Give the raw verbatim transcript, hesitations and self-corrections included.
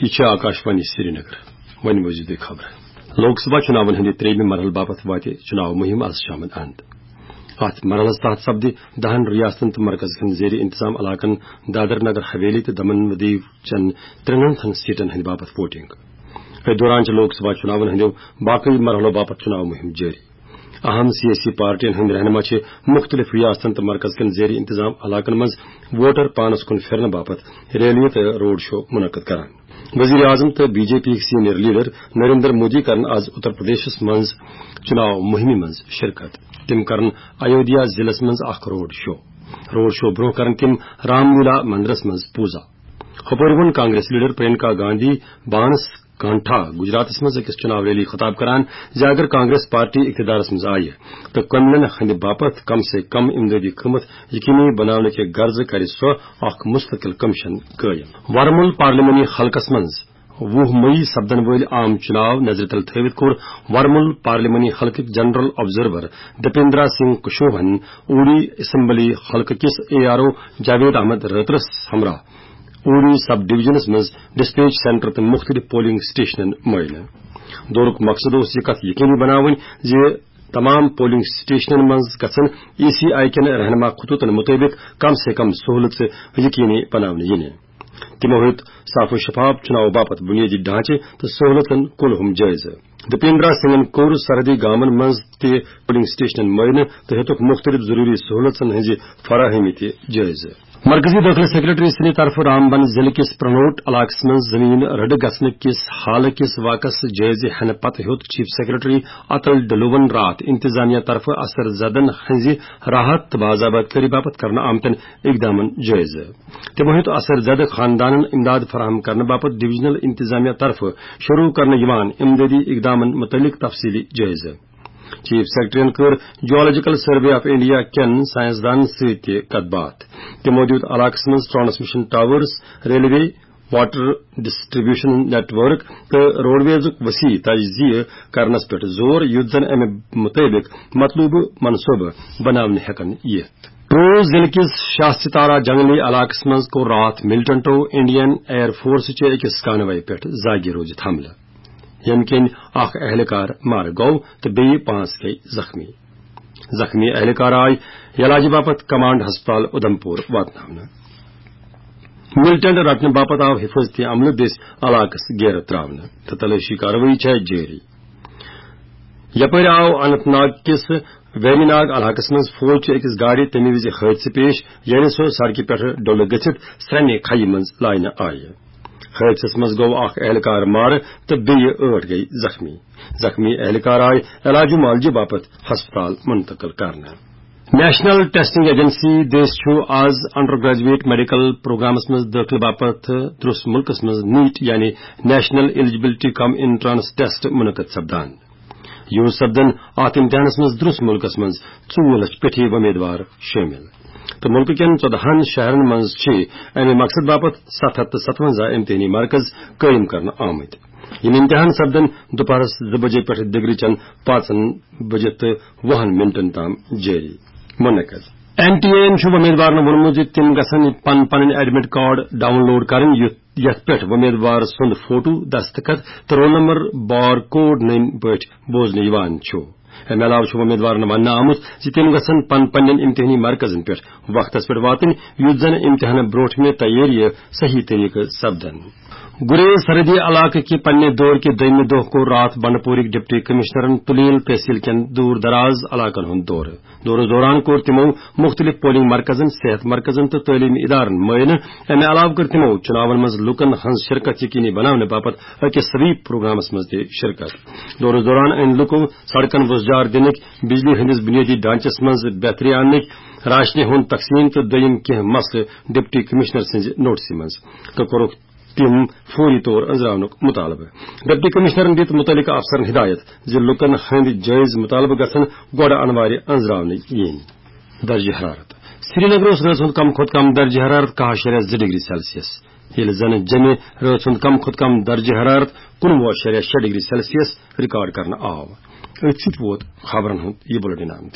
یہِ چھِ آکاشوانی سرینگر۔ وۄنۍ بوٗزِو تُہۍ خبرٕ۔ لوک سبھا چُناون ہٕنٛدِ ترٛیٚیِمہِ مرحلہٕ باپتھ واتہِ چُناو مُہِم از شامن اند۔ اتھ مرحلس تحت سپدِ دہن ریاستن تہٕ مرکز کٮ۪ن زیر انتظام علاقن دادر نگر حویلی تہٕ دمن و دیو چٮ۪ن ترٛٮ۪ن ہتن سیٹن ہٕنٛدِ باپتھ ووٹنگ۔ أتھۍ دوران چھِ لوک سبھا چُناون ہٕنٛدیو باقٕے مرحلو باپتھ چُناو مُہِم جٲری۔ اہم سیٲسی پارٹین ہٕنٛدۍ رہنما چھِ مُختٔلِف ریاستن تہٕ مرکز کٮ۪ن زیر انتظام علاقن منٛز ووٹر پانس کُن پھِرنہٕ باپتھ ریلیہِ تہٕ روڈ شو منعقد کران۔ وزیر اعظم تہٕ بی جے پی ہٕکۍ سینئر لیڈر نریندر مودی کرن از اتر پردیشس منٛز چُناو مُہِمہِ منٛز شرکت۔ تِم کرن ایودھیا ضلعس منٛز اکھ روڈ شو۔ روڈ شو برونٛہہ کرن تِم رام لیلا مندرس منٛز پوٗزا۔ ہُپٲرۍ ووٚن کانگریس لیڈر پرینکا گاندھی بانس کانٹھا گجراتس منٛز أکِس چُناو ریلی خطاب کران زِ اگر کانگریس پارٹی اقتدارس منٛز آیہِ تہٕ کٔمِلین ہٕنٛدِ باپتھ کم سے کم امدادی قۭمتھ یقینی بناونہٕ کہِ غرضہٕ کرِ سۄ اکھ مستقل کمیشن قٲیِم۔ ورمُل پارلیمانی حلقس منٛز وُہ مئی سپدن وٲلۍ عام چُناو نظرِ تل تھٲوِتھ کوٚر ورمُل پارلیمانی حلقٕکۍ جنرل آبزرور دپیندرا سنگھ کشوہن اوڈی اسمبلی حلقہٕ کِس A R O Javed Ahmad رٲترس ہمراہ اوڈی سب ڈویژنس منٛز ڈسپیچ سینٹر تہٕ مُختٔلِف پولنگ سٹیشنن معائنہٕ۔ دورُک مقصد اوس یہِ کتھ یقینی بناوٕنۍ زِ تمام پولنگ سٹیشنن منٛز گژھن ای سی آئی کٮ۪ن رہنما خطوطن مطٲبق کم سے کم سہولژٕ یقینی بناونہٕ یِنہِ۔ تِمو ہیوٚت صاف و شفاف چُناو باپتھ بنیٲدی ڈھانچہٕ تہٕ سہولژن کُلہُم جٲیزٕ۔ دپیندرا سنگھن کوٚر سرحدی گامن منٛز تہِ پولنگ سٹیشنن معائنہٕ تہٕ ہیوٚتُکھ مُختٔلِف ضروٗری سہولژن ہٕنٛزِ فراہمی تہِ جٲیزٕ۔ مرکزی دٲخلہٕ سیکرٹری سٕنٛدِ طرفہٕ رامبن ضلعہٕ کِس پرنوٹ علاقس منٛز زمین رٔڑٕ گژھنہٕ کِس حالہٕ کِس واقعس جٲیزٕ ہٮ۪نہٕ پتہٕ ہیوٚت چیف سیکرٹری اتل ڈلوون راتھ انتظامیہ طرفہٕ اثر زدن ہٕنٛزِ راحت تہٕ باضابطگی باپتھ کرنہٕ آمتٮ۪ن اقدامن جٲیزٕ۔ تِمو ہیوٚت اثر زدٕ خاندانن امداد فراہم کرنہٕ باپتھ ڈویژنل انتظامیہ طرفہٕ شروع کرنہٕ یِوان امدادی اقدامن متعلق تفصیلی جٲیزٕ۔ چیف سیکرٹریَن کٔر جیولوجیکل سروے آف انڈیا کٮ۪ن سائنسدانن سۭتۍ تہِ کتھ باتھ۔ تِمو دیُت علاقس منٛز transmission towers, railway, water distribution network تہٕ روڈویزُک وسیع تجزیہ کرنس پٮ۪ٹھ زور، یُتھ زن امہِ مُطٲبِق مطلوبہٕ منصوبہٕ بناونہٕ ہٮ۪کن یِتھ۔ ٹوٗ ضلعہٕ کِس شاہ ستارہ جنگلی علاقس منٛز کوٚر راتھ ملٹنٹو انڈین ایئر فورس چہِ أکِس کانوے پٮ۪ٹھ زاگہِ روٗزِتھ حملہٕ، ییٚمہِ کِنۍ اکھ اہلکار مارٕ گوٚو تہٕ بیٚیہِ پانٛژھ گٔیہِ زخمی۔ زخمی اہلکار آے علاجہِ باپتھ کمانڈ ہسپتال اُدھمپور واتناونہٕ۔ ملٹنٹ رٹنہٕ باپتھ آو حفاظتی عملہٕ دٔسۍ علاقس گیرٕ تراونہٕ تہٕ تلٲشی کاروٲیی چھےٚ جٲری۔ یپٲرۍ آو اننت ناگ کِس ویری ناگ علاقس منٛز فوج چہِ أکِس گاڑِ تَمہِ وِزِ حٲدثہٕ پیش، ییٚلہِ سۄ سڑکہِ پٮ۪ٹھٕ ڈُلہٕ گٔژھِتھ سرٛنہِ کھیہِ منٛز لاینہٕ آیہِ۔ حٲدثس منٛز گوٚو اکھ اہلکار مارٕ تہٕ بیٚیہِ ٲٹھ گٔیہِ زخمی۔ زخمی اہلکار آیہِ علاجہِ معالجہِ باپتھ ہسپتال منتقل کرنہٕ۔ نیشنل ٹیسٹنگ ایجنسی دٔسۍ چھُ آز انڈر گریجویٹ میڈیکل پروگرامس منٛز دٲخلہٕ باپتھ درس مُلکس منٛز نیٹ یعنی نیشنل ایلیجبلٹی کم انٹرنس ٹیسٹ منعقد سپدان۔ یوٗز سپدن اتھ امتحانس منٛز درس مُلکس منٛز ژوٚوُہ لچھ پٮ۪ٹھی وۄمیدوار شٲمِل تہٕ مُلکہٕ کٮ۪ن ژۄدہن شہرن منٛز چھِ امہِ مقصد باپتھ ستھ ہتھ تہٕ ستونزہ امتحٲنی مرکز قٲیِم کرنہٕ آمٕتۍ۔ یِم امتحان سپدن دُپہرس زٕ بجے پٮ۪ٹھ دِگرٕچن پانٛژن بجے تہٕ وُہن منٹن تام جٲری۔ منعقد۔ این ٹی اے یَن چھُ وۄمیدوارن ووٚنمُت زِ تِم گژھن پن پنٕنۍ ایڈمٹ کارڈ ڈاؤن لوڈ کرٕنۍ، یُتھ، یتھ پٮ۪ٹھ وۄمیدوار سُنٛد فوٹو، دستخط تہٕ رول نمبر بار کوڈ نٔنۍ پٲٹھۍ بوزنہٕ یِوان چھُ۔ امہِ علاوٕ چھُ وۄمیدوارن وننہٕ آمُت زِ تِم گژھن پن پننٮ۪ن امتحٲنی مرکزن پٮ۪ٹھ وقتس پٮ۪ٹھ واتٕنۍ، یُتھ زن امتحانہٕ برونٹھمہِ تیٲرِیہِ صحیح طریقہٕ سپدن۔ گُریز سرحدی علاقہٕ کہِ پننہِ دورٕ کہِ دوٚیمہِ دۄہ کوٚر راتھ بنڈپورٕکۍ ڈپٹی کمشنرن تُلیل تحصیل کٮ۪ن دوٗر دراز علاقن ہُنٛد دورٕ۔ دورس دوران کوٚر تِمو مُختٔلِف پولنگ مرکزن، صحت مرکزن تہٕ تعلیمی ادارن معائنہٕ۔ امہِ علاوٕ کٔر تِمو چُناون منٛز لوٗکن ہٕنٛز شرکت یقینی بناونہٕ باپتھ أکِس سویپ پروگرامس منٛز تہِ شرکت۔ دورس دوران أنۍ لوٗکو سڑکن وُزجار دِنٕکۍ، بجلی ہٕنٛدِس بنیٲدی ڈھانچس منٛز بہتری اننٕکۍ، راشنہِ ہُنٛد تقسیٖم تہٕ دوٚیِم کینٛہہ مسلہٕ ڈپٹی کمشنر سٕنٛزِ نوٹسہِ منٛز تہٕ کوٚرُکھ تِم فوری طور أنٛزراونُک مُطالبہٕ۔ ڈپٹی کمشنرن دِتۍ مُتعلقہٕ افسرن ہدایت زِ لوٗکن ہٕنٛدۍ جٲیز مُطالبہٕ گژھن گۄڈٕ انوارِ أنٛزراونہٕ یِنۍ۔ درجہ حرارت۔ سرینگر اوس رٲژ ہُنٛد کم کھۄتہٕ کم درجہ حرارت کاہ اَشاریہ زٕ ڈگری سیلسیس، ییٚلہِ زن جمعہ رٲژ ہُنٛد کم کھۄتہٕ کم درجہ حرارت کُنوُہ اَشاریہ شےٚ ڈگری سیلسیس ریکارڈ کرنہٕ آو۔ أتھۍ سۭتۍ ووت خبرن ہُنٛد یہِ بُلٹن انت۔